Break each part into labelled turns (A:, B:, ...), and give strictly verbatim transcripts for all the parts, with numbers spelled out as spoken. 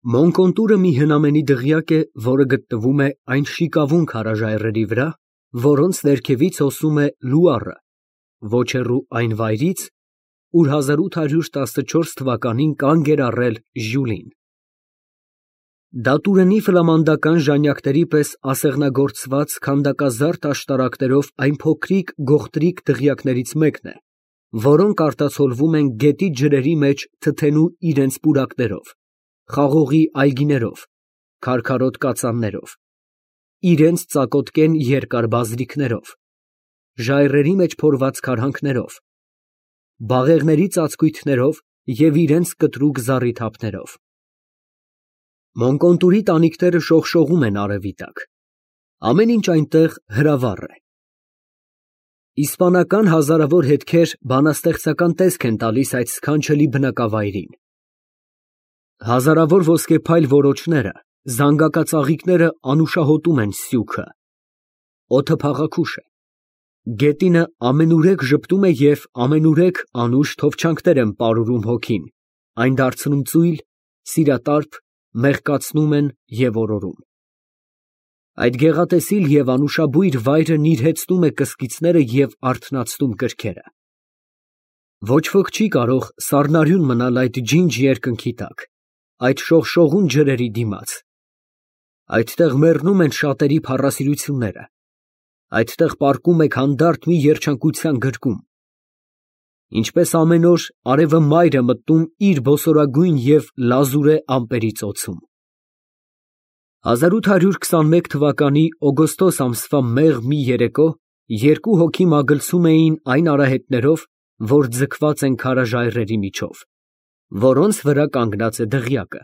A: Մոնկոնտուրը մի հնամենի դղյակ է, որը գտնվում է այն շիկավուն քարաժայռերի վրա, որոնց ներքևից հոսում է Լուարը, ոչ հեռու այն վայրից, ուր հազար ութ հարյուր տասնչորս թվականին կանգ էր առել Ժյուլին։ Դա տուրենի ֆլամանդական ժանյակների պես ասեղնագործված քանդակազարդ աշտարակներով այն փոքրիկ գողտրիկ դղյակներից մեկն է, որոնք արտացոլվում են գետի ջրերի մեջ թթենու իրենց պուրակներով, խաղողի այգիներով, քարքարոտ կածաններով, իրենց ծակոտկեն երկար բազրիքներով, ժայռերի մեջ փորված քարհանքներով, բաղեղների ծածկույթներով և իրենց կտրուկ զառիթափներով։ Մոնկոնտուրի տանիքները շողշողում են արևի տակ, ամեն ինչ այնտեղ հրավառ է։ Իսպանական հազարավոր հետքեր բանաստեղծական տեսք են տալիս այդ սքանչելի բնակավայրին։ Հազարավոր ոսկեփայլ որոչները, զանգակածաղիկները անուշահոտում են սյուքը, օդը փաղաքուշ է, գետինը ամենուրեք ժպտում է և ամենուրեք անուշ թովչանկներ են պարուրում հոգին, այն դարձնում ծույլ, սիրատարփ, մեղկացնում են և օրորում։ Այդ գեղատեսիլ և անուշաբույր վայրը նիրհեցնում է կսկիցները և արթնացնում կրքերը։ Ոչ ոք չի կարող սառնարյուն մնալ այդ ջինջ երկնքի տակ, այդ շողշողուն ջրերի դիմաց։ Այդտեղ մեռնում են շատերի փառասիրությունները, այդտեղ պառկում է հանդարտ մի երջանկության գրկում։ Ինչպես ամեն օր արևը մայր է մտնում իր բոսորագույն և լազուրե ամպերի ծոցում։ հազար ութ հարյուր քսանմեկ թվականի օգոստոս ամսվա մեղմ մի երեկո երկու հոգի մագլցում էին այն արահետներով, որ ձգված են քարաժայռերի միջով, որոնց վրա կանգնած է դղյակը,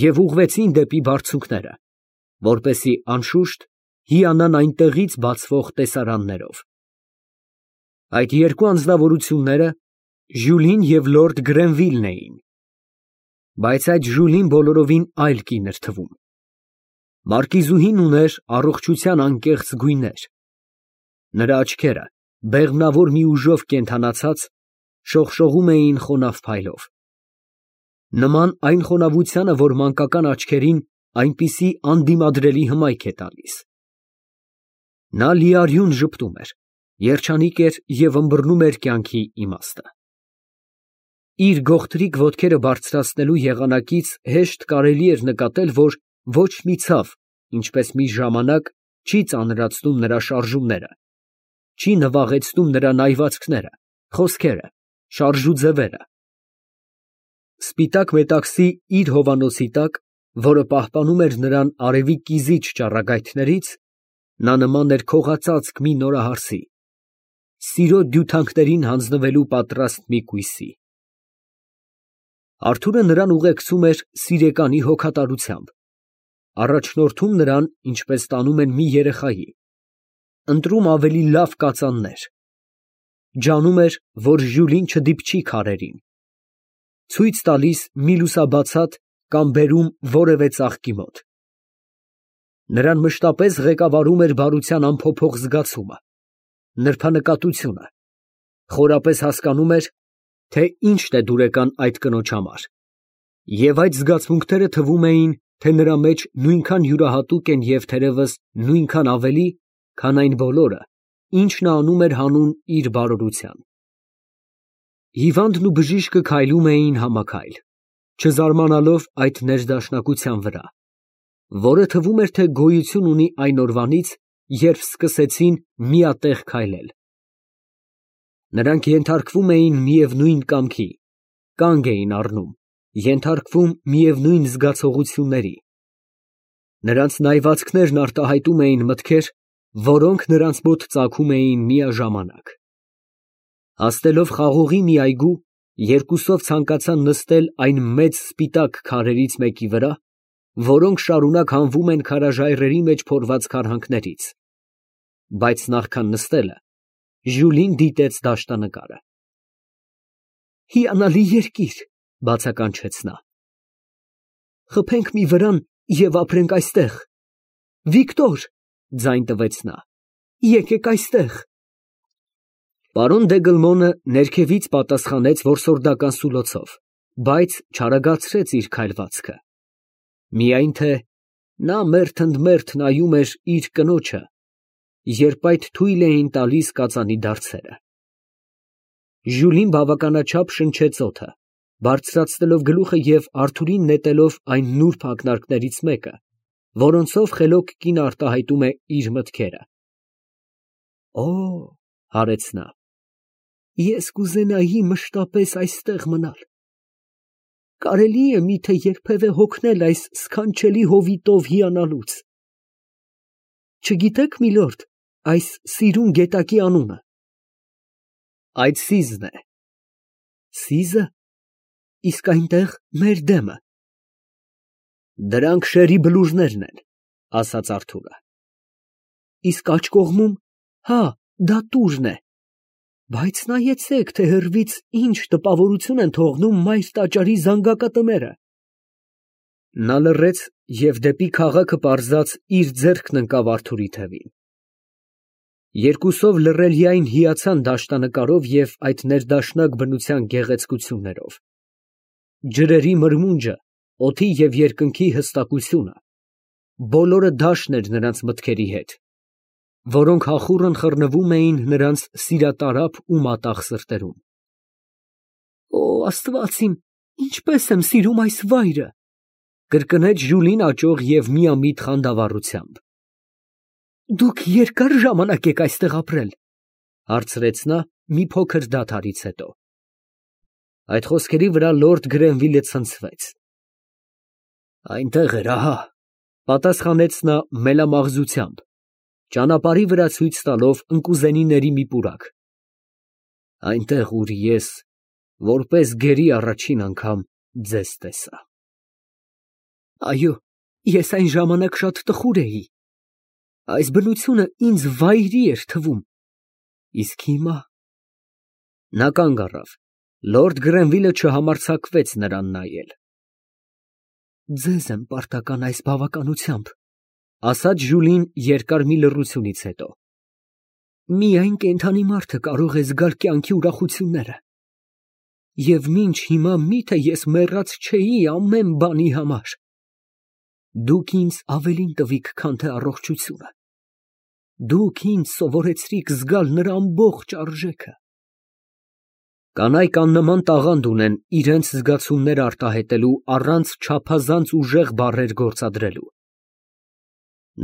A: և ուղղվեցին դեպի բարձունքները, որպեսզի անշուշտ հիանան այնտեղից բացվող տեսարաններով։ Այդ երկու անձնավորությունները Ժյուլին և լորդ Գրենվիլն էին։ Բայց այդ Ժյուլին բոլորովին այլ կին էր թվում։ Մարկիզուհին ուներ առողջության անկեղծ գույներ։ Նրա աչքերը, բեղմնավոր մի ուժով կենդանացած, շողշողում էին խոնավ փայլով, նման այն խոնավությանը, որ մանկական աչքերին այնպիսի անդիմադրելի հմայք է տալիս։ Նա լիարյուն ժպտում էր, երջանիկ էր և ըմբռնում էր կյանքի իմաստը։ Իր գողտրիկ ոտքերը բարձրացնելու եղանակից հեշտ կարելի էր նկատել, որ ոչ մի ցավ, ինչպես մի ժամանակ, չի ծանրացնում նրա շարժումները, չի նվաղեցնում նրա նայվածքները, խոսքերը, շարժուձևերը։ Սպիտակ մետաքսի իր հովանոցի տակ, որը պահպանում էր նրան արևի կիզիչ ճառագայթներից, նա նման էր քողածածկ մի նորահարսի, սիրո դյութանքներին հանձնվելու պատրաստ մի կույսի։ Արթուրը նրան ուղեկցում էր սիրեկանի հոգատարությամբ, առաջնորդում նրան, ինչպես տանում են մի երեխայի, ընտրում ավելի լավ կածաններ, ջանում էր, որ Ժյուլին չդիպչի քարերին, ցույց տալիս մի լուսաբացատ կամ բերում որևէ ծաղկի մոտ։ Նրան մշտապես ղեկավարում էր բարության անփոփոխ զգացումը, նրբանկատությունը, խորապես հասկանում էր, թե ինչն է դուրեկան այդ կնոջ համար, և այդ զգացմունքները թվում էին, թե նրա մեջ նույնքան յուրահատուկ են և թերևս նույնքան ավելի, քան այն բոլորը, ինչ նա անում էր հանուն իր բարօրության։ Հիվանդն ու բժիշկը քայլում էին համաքայլ, չզարմանալով այդ ներդաշնակության վրա, որը թվում էր, թե գոյություն ունի այն օրվանից, երբ սկսեցին միատեղ քայլել։ Նրանք ենթարկվում էին միևնույն կամքի, կանգ էին առնում, ենթարկվում միևնույն զգացողությունների։ Նրանց նայվածքներն արտահայտում էին մտքեր, որոնք նրանց մոտ ծագում էին միաժամանակ։ Հասնելով խաղողի մի այգու, երկուսով ցանկացան նստել այն մեծ սպիտակ քարերից մեկի վրա, որոնք շարունակ հանվում են քարաժայռերի մեջ փորված քարհանքներից, բայց նախքան նստելը Ժյուլին դիտեց դաշտանկարը։ «Հիանալի երկիր», ֊ բացականչեց նա։ «Խփենք մի վրան և ապրենք այստեղ։ Վիկտոր, ֊ ձայն տվեց նա, ֊ եկեք այստեղ»։ Պարոն Դեգլմոնը ներքևից պատասխանեց որսորդական սուլոցով, բայց չարագացրեց իր քայլվածքը։ Միայն թե նա մերթ ընդ մերթ նայում էր իր կնոջը, երբ այդ թույլ էին տալիս կածանի դարձերը։ Ժյուլին բավականաչափ շնչեց օդը, բարձրացնելով գլուխը և Արթուրին նետելով այն նուրբ ակնարկներից մեկը, որոնցով խելոք կինը արտահայտում է իր մտքերը։ Օ, հարեց նա, ես կուզենայի մշտապես այստեղ մնալ։ Կարելի է միթե երբևէ հոգնել այս սքանչելի հովիտով հիանալուց։ Չգիտեք, միլորդ, այս սիրուն գետակի անունը։ Այդ Սիզն է։ Սիզը։ Իսկ այնտեղ մեր դեմը։ Դրանք շերի բլուրներն են, ասաց Արթուրը։ Իսկ աջ կողմում, հա, դա Տուրն է։ Բայց նայեցեք, թե հեռվից ինչ տպավորություն են թողնում մայր տաճարի զանգակատները։ Նա լռեց և դեպի քաղաքը պարզած իր ձեռքն ընկավ Արթուրի թևին։ Երկուսով լռելիայն հիացան դաշտանկարով և այդ ներդաշնակ բնության գեղեցկություններով։ Ջրերի մրմունջը, օդի և երկնքի հստակությունը, բոլորը դաշն էր նրանց մտքերի հետ, որոնք հախուռն խռնվում էին նրանց սիրատարապ ու մատաղ սրտերում։ Օ, Աստված իմ, ինչպես եմ սիրում այս վայրը, կրկնեց Ժյուլին աճող և միամիտ խանդավառությամբ։ Դուք երկա՞ր ժամանակ եք այստեղ ապրել, հարցրեց նա մի փոքր դադարից հետո։ Այդ խոսքերի վրա լորդ Գրենվիլը ցնցվեց։ Այնտեղ էր, ահա, պատասխանեց նա մելամաղձությամբ, ճանապարհի վրա ցույց տալով ընկուզենիների մի պուրակ։ Այնտեղ, ուր ես, որպես գերի առաջին անգամ ձեզ տեսա։ Այո, ես այն ժամանակ շատ տխուր էի։ Այս բնությունը ինձ վայրի էր թվում։ Իսկ հիմա… Նա կանգ առավ։ Լորդ Գրենվիլը չհամարձակվեց նրան նայել։ Ձեզ եմ պարտական այս բավականությամբ, ասաց Ժյուլին երկար մի լռությունից հետո։ Միայն կենդանի մարդը կարող է զգալ կյանքի ուրախությունները։ Եվ մինչ հիմա միթե ես մեռած չէի ամեն բանի համար։ Դուք ինձ ավելին տվիք, քան թե առողջությունը։ Դուք ինձ սովորեցրիք զգալ նրա ամբողջ արժեքը։ Կանայք աննման տաղանդ ունեն իրենց զգացումները արտահայտելու առանց չափազանց ուժեղ բառեր գործադրելու։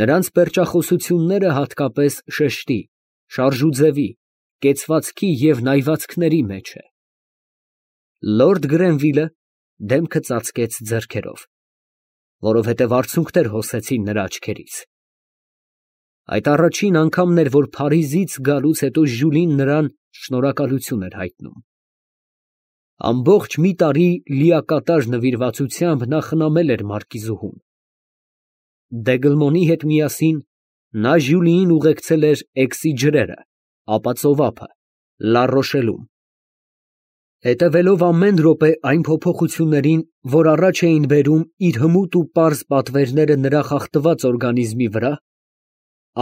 A: Նրանց պերճախոսությունները հատկապես շեշտի, շարժուձևի, կեցվածքի և նայվածքների մեջ է։ Լորդ Գրենվիլը դեմքը ծածկեց ձեռքերով, որովհետև արցունքներ հոսեցին նրա աչքերից։ Այդ առաջին անգամն էր, որ Փարիզից գալուց հետո Ժյուլին նրան շնորհակալություն էր հայտնում։ Ամբողջ մի տարի լիակատար նվիրվածությամբ նա խնամել էր մարկիզուհուն։ Դեգլմոնի հետ միասին նա Ժյուլիին ուղեկցել էր Էքսի ջրերը, ապա ծովափը, Լառոշելում։ Հետևելով ամեն րոպե այն փոփոխություններին, որ առաջ էին բերում իր հմուտ ու պարզ պատվերները նրա խախտված օրգանիզմի վրա,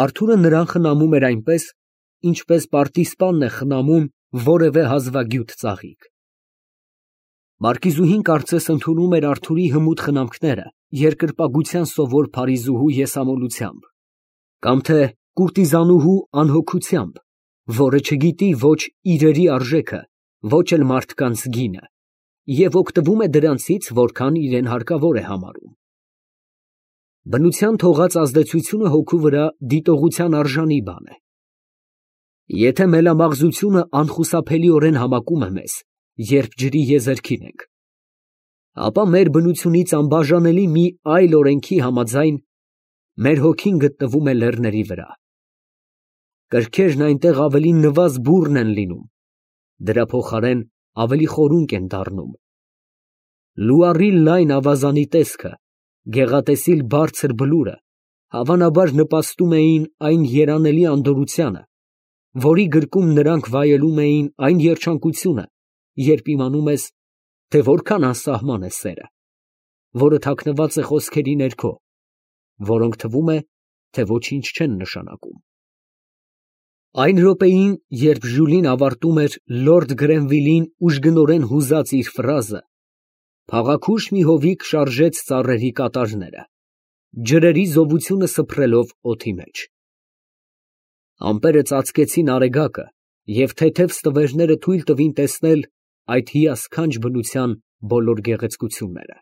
A: Արթուրը նրան խնամում էր այնպես, ինչպես պարտիզպանն է խնամում որևէ հազվագյուտ ծաղիկ։ Մարկիզուհին կարծես ընդունում էր Արթուրի հմուտ խնամքները երկրպագության սովոր փարիզուհու եսամոլությամբ, կամ թե կուրտիզանուհու անհոգությամբ, որը չգիտի ոչ իրերի արժեքը, ոչ էլ մարդկանց գինը, և օգտվում է դրանցից, որքան իրան հարկավոր է համարում։ Բնության թողած ազդեցությունը հոգու վրա դիտողության արժանի բան է։ Եթե մելամաղձությունը անխուսափելիորեն համակում է մեզ, երբ ջրի եզերքին ենք, ապա մեր բնությունից անբաժանելի մի այլ օրենքի համաձայն մեր հոգին գտնվում է լեռների վրա։ Կրքերն այնտեղ ավելի նվազ բուռն են լինում, դրա փոխարեն ավելի խորունկ են դառնում։ Լուարի լայն ավազանի տեսքը, գեղատեսիլ բարձր բլուրը, հավանաբար նպաստում էին այն երանելի անդորրությանը, որի գրկում նրանք վայելում էին այն երջանկությունը, երբ իմանում ես, թե որքան անսահման է սերը, որը թաքնված է խոսքերի ներքո, որոնք թվում է, թե ոչինչ չեն նշանակում։ Այն րոպեին, երբ Ժյուլին ավարտում էր լորդ Գրենվիլին ուժգնորեն հուզած իր ֆրազը, Փաղաքուշ մի հովիկ շարժեց ծառերի կատարները, ջրերի զովությունը սփռելով օդի մեջ։ Ամպերը ծածկեցին արեգակը, և թեթև ստվերները թույլ տվին տեսնել այդ հիասքանչ բնության բոլոր գեղեցկությունները։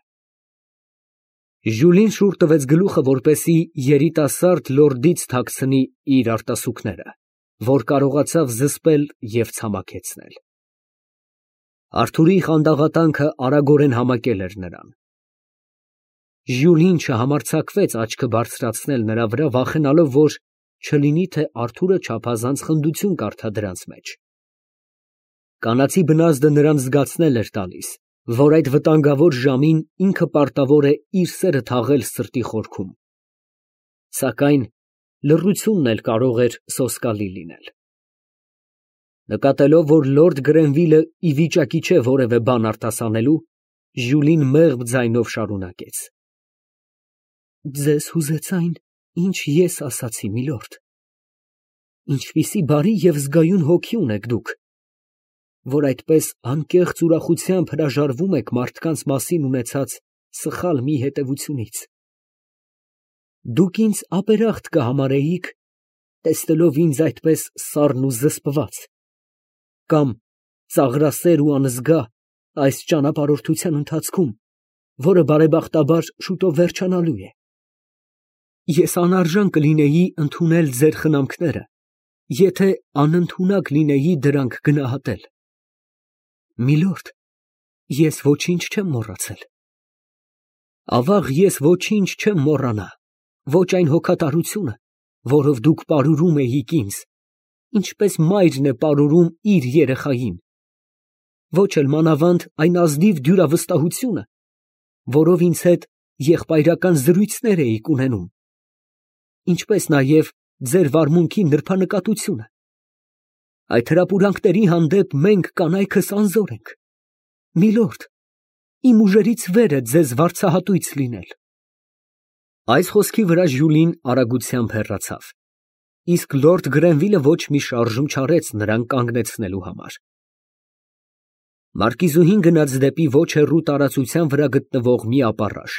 A: Ժյուլին շուռ տվեց գլուխը, որպեսզի երիտասարդ լորդից թաքցնի իր արտասուքները, որ կարողացավ զսպել և ցամաքեցնել։ Արթուրի խանդաղատանքը արագորեն համակել էր նրան։ Ժյուլին չհամարձակվեց աչքը բարձրացնել նրա վրա, վախենալով, որ չլինի թե Արթուրը չափազանց խնդություն կարդա դրանց մեջ։ Կանացի բնազդը նրան զգացնել էր տալիս, որ այդ վտանգավոր ժամին ինքը պարտավոր է իր սերը թաղել սրտի խորքում։ Սակայն լռությունն էլ կարող էր սոսկալի լինել։ Նկատելով, որ լորդ Գրենվիլը ի վիճակի չէ որևէ բան արտասանելու, Ժյուլին մեղմ ձայնով շարունակեց. Ձեզ հուզեց այն, ինչ ես ասացի, միլորդ։ Ինչպիսի բարի և զգայուն հոգի ունեք դուք, որ այդպես անկեղծ ուրախությամբ հրաժարվում եք մարդկանց մասին ունեցած սխալ մի հետևությունից։ Դուք ինձ ապերախտ կհամարեիք, տեսնելով ինձ այդպես սառն ու զսպված, կամ ծաղրասեր ու անզգա այս ճանապարհորդության ընթացքում, որը բարեբախտաբար շուտով վերջանալու է։ Ես անարժան կլինեի ընդունել ձեր խնամքները, եթե անընդունակ լինեի դրանք գնահատել։ Միլորդ, ես ոչինչ չեմ մոռացել։ Ավաղ ես ոչինչ չեմ մոռանա, ոչ այն հոգատարությունը, որով դուք պարուրում էիք ինձ, ինչպես մայրն է պարուրում իր երեխային, ոչ էլ մանավանդ այն ազնիվ դյուրավստահությունը, որով ինձ հետ եղբայրական զրույցներ էիք ունենում, ինչպես նաև ձեր վարմունքի նրբանկատությունը։ Այդ հրապուրանքների հանդեպ մենք կանայքս անզոր ենք։ Միլորդ, իմ ուժերից վեր է ձեզ վարձահատույց լինել։ Այս խոսքի վրա Ժյուլին արագությամբ հեռացավ, իսկ լորդ Գրենվիլը ոչ մի շարժում չարեց նրան կանգնեցնելու համար։ Մարկիզուհին գնաց դեպի ոչ հեռու տարածության վրա գտնվող մի ապառաշ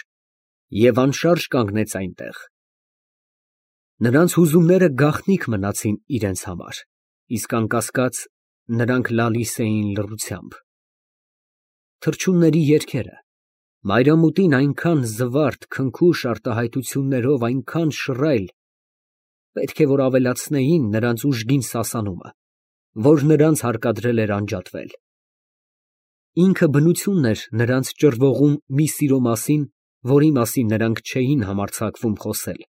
A: և անշարժ կանգնեց այնտեղ։ Նրանց հուզումները գաղտնիք մնացին իրենց համար, իսկ անկասկած նրանք լալիս էին լռությամբ։ Թռչունների երգերը, մայրամուտին այնքան զվարթ, քնքուշ արտահայտություններով այնքան շռայլ, պետք է որ ավելացնեին նրանց ուժգին սասանումը, որ նրանց հարկադրել էր անջատվել։ Ինքը բնությունն էր նրանց ճռվողում մի սիրո մասին, որի մասին նրանք չէին համարձակվում խոսել։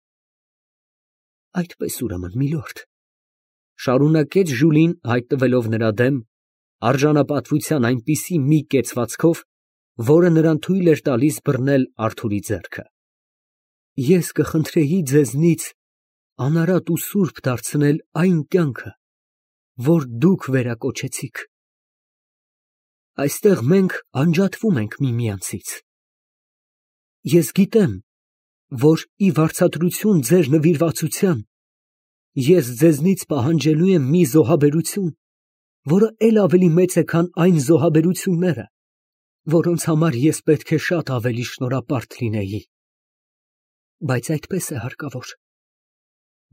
A: Այդպես ուրեմն, միլորդ, շարունակեց Ժյուլին, հայտնվելով նրա դեմ, արժանապատվության այնպիսի մի կեցվածքով, որը նրան թույլ էր տալիս բռնել Արթուրի ձեռքը, ես կխնդրեի ձեզնից անարատ ու սուրբ դարձնել այն կյանքը, որ դուք վերակոչեցիք։ Այստեղ մենք անջատվում ենք միմյանցից։ Ես գիտեմ, որ ի վարձատրություն ձեր նվիրվածության ես ձեզնից պահանջելու եմ մի զոհաբերություն, որը էլ ավելի մեծ է, քան այն զոհաբերությունները, որոնց համար ես պետք է շատ ավելի շնորհապարտ լինեի։ Բայց այդպես է հարկավոր։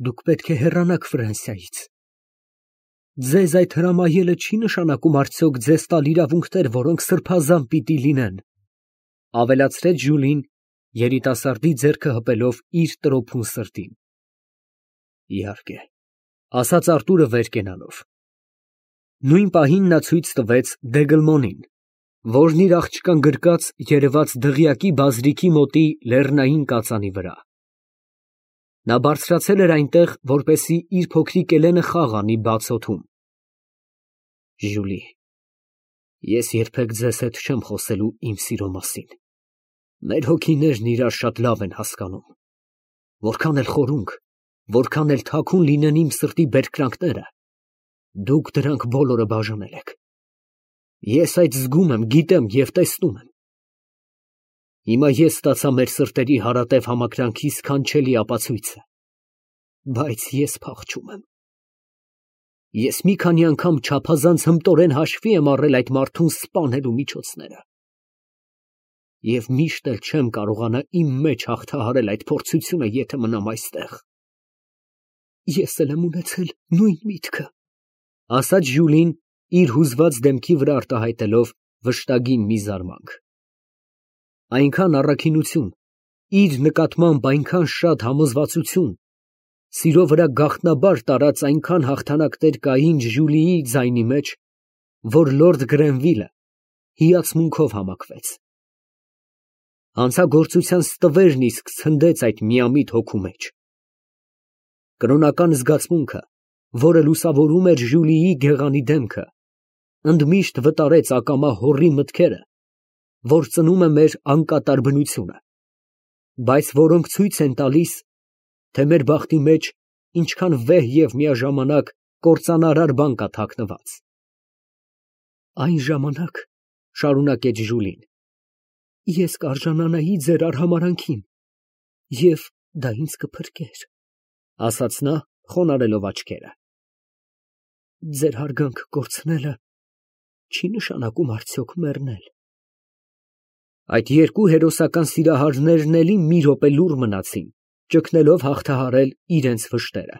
A: Դուք պետք է հեռանաք Ֆրանսիայից։ Ձեզ այդ հրամայելը չի նշանակում արդյոք ձեզ տալ իրավունքներ, որոնք սրբազան պիտի լինեն, ավելացրեց Ժյուլին, երիտասարդի ձեռքը հպելով իր տրոփուն սրտին։ Իհարկե, ասաց Արտուրը վեր կենալով։ Նույն պահին նա ցույց տվեց Դեգլմոնին, որն իր աղջկան գրկած երևաց դղյակի բազրիքի մոտի լեռնային կածանի վրա։ Նա բարձրացել էր այնտեղ, որպեսզի իր փոքրիկ Էլենը խաղ անի բաց օդում։ Ժյուլի, ես երբեք ձեզ հետ չեմ խոսելու իմ սիրո մասին։ Մեր հոգիներն իրար շատ լավ են հասկանում։ Որքան էլ խորունկ, որքան էլ թաքուն լինեն իմ սրտի բերկրանքները, դուք դրանք բոլորը բաժանել եք։ Ես այդ զգում եմ, գիտեմ և տեսնում եմ։ Հիմա ես ստացա մեր սրտերի հարատև համակրանքի սքանչելի ապացույցը, բայց ես փախչում եմ։ Ես մի քանի անգամ չափազանց հմտորեն հաշվի եմ առել այդ մարդուն սպանելու միջոցները։ Եվ միշտ էլ չեմ կարողանա իմ մեջ հաղթահարել այդ փորձությունը, եթե մնամ այստեղ։ Ես էլ եմ ունեցել նույն միտքը, ասաց Ժյուլին, իր հուզված դեմքի վրա արտահայտելով վշտագին մի զարմանք։ Այնքան առաքինություն, իր նկատմամբ այնքան շատ համոզվածություն, սիրո վրա գաղտնաբար տարած այնքան հաղթանակներ կային Ժյուլիի ձայնի մեջ, որ լորդ Գրենվիլը հիացմունքով համակվեց։ Հանցագործության ստվերն իսկ ցնդեց այդ միամիտ հոգու մեջ։ Կրոնական զգացմունքը, որը լուսավորում էր Ժյուլիի գեղանի դեմքը, ընդմիշտ վտարեց ակամա հոռի մտքերը, որ ծնում է մեր անկատար բնությունը, բայց որոնք ցույց են տալիս, թե մեր բախտի մեջ ինչքան վեհ և միաժամանակ կործանարար բան կա թաքնված։ Այն ժամանակ, շարունակեց Ժուլին, ես կարժանանայի ձեր արհամարհանքին, և դա ինձ կփրկեր, ասաց նա, խոնարհելով աչքերը։ Ձեր հարգանքը կորցնելը չի նշանակում արդյոք մեռնել։ Այդ երկու հերոսական սիրահարներն էլի մի րոպե լուռ մնացին, ճգնելով հաղթահարել իրենց վշտերը։